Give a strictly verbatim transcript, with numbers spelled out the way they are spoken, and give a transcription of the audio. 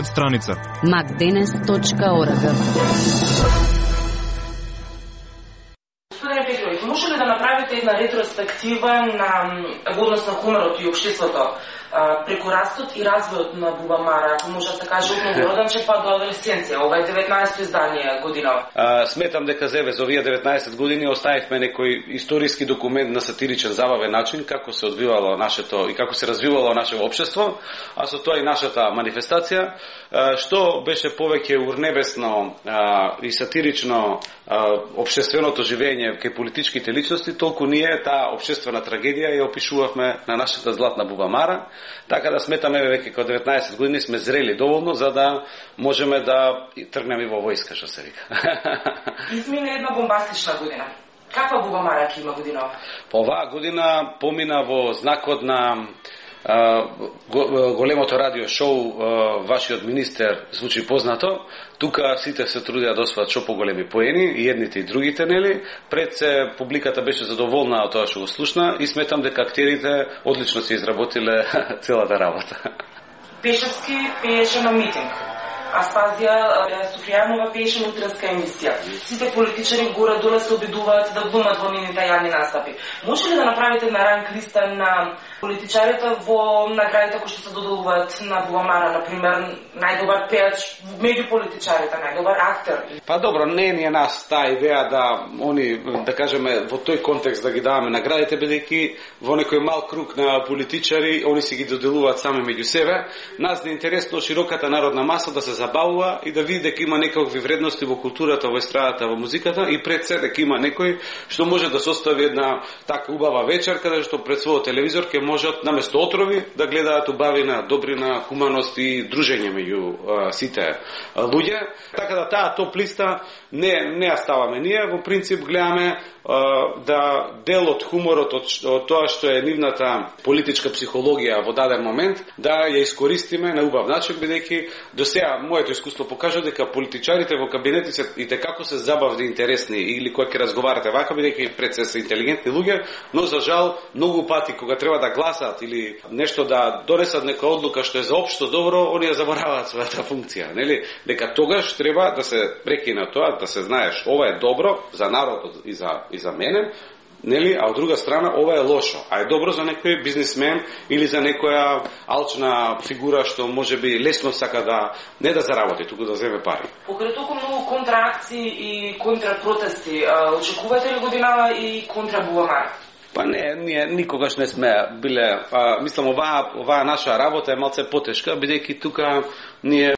страница макденес точка орг. Господине Петрович, може ли да направите една ретроспектива на во однос на хуморот и општеството преку растот и развојот на Бубамара, ако може да се каже од новороданче па до адолесценција, ова е деветнаесетто издание година. А, сметам дека за за овие деветнаесет години оставивме некој историски документ на сатиричен забавен начин како се одвивало нашето и како се развивало нашето општество, а со тоа и нашата манифестација, што беше повеќе урнебесно а, и сатирично а, општественото живење кај политичките личности, толку ние таа општествена трагедија ја опишувавме на нашата златна Бубамара. Така да сметаме веќе кај деветнаесет години сме зрели доволно за да можеме да тргнеме во војска, што се вика. Измина една бомбастична година. Каква Бубамара ќе има година? По оваа година помина во знакот на а, големото радио шоу, а, вашиот министер звучи познато. Тука сите се трудеа да освојат што поголеми поени, и едните и другите, нели? Пред се публиката беше задоволна од тоа што го слушна и сметам дека актерите одлично се изработиле целата работа. Пешевски пееше на митинг. Аспазија Софијанова пееше на утренска емисија. Сите политичари горе-доле се обидуваат да глумат во нивните јавни настапи. Може ли да направите на ранг листа на политичарите во наградите кои што се доделуваат на Бубамара, например, најдобар пеач меѓу политичарите, најдобар актер? Па добро, не ни е нас таа идеја да они, да кажеме, во тој контекст да ги даваме наградите, бидејќи во некој мал круг на политичари, они си ги доделуваат сами меѓу себе. Нас не е интересно широката народна маса да се забавува и да види дека има некакви вредности во културата, во естрадата, во музиката и пред се дека има некој што може да состави една така убава вечер каде што пред својот телевизор ќе можат наместо отрови да гледаат убавина, добрина, хуманост и дружење меѓу а, сите а, луѓе. Така да таа топ листа не не ја ставаме ние, во принцип гледаме а, да дел од хуморот од, од тоа што е нивната политичка психологија во даден момент да ја искористиме на убав начин, бидејќи до сега моето искуство покажа дека политичарите во кабинети се и како се забавни, интересни или кога ќе разговарате вака, бидејќи пред се се интелигентни луѓе, но за жал многу пати кога треба да гласат или нешто да донесат нека одлука што е за општо добро, они ја забораваат својата функција, нели? Дека тогаш треба да се прекина тоа, да се знаеш ова е добро за народот и за и за мене, нели, а од друга страна ова е лошо, а е добро за некој бизнисмен или за некоја алчна фигура што можеби лесно сака да не да заработи, туку да земе пари. Покрај толку многу контраакции и контрапротести, очекувате ли годинава и контра Бубамара? Па не, ние никогаш не сме биле, а, мислам оваа оваа наша работа е малце потешка, бидејќи тука ние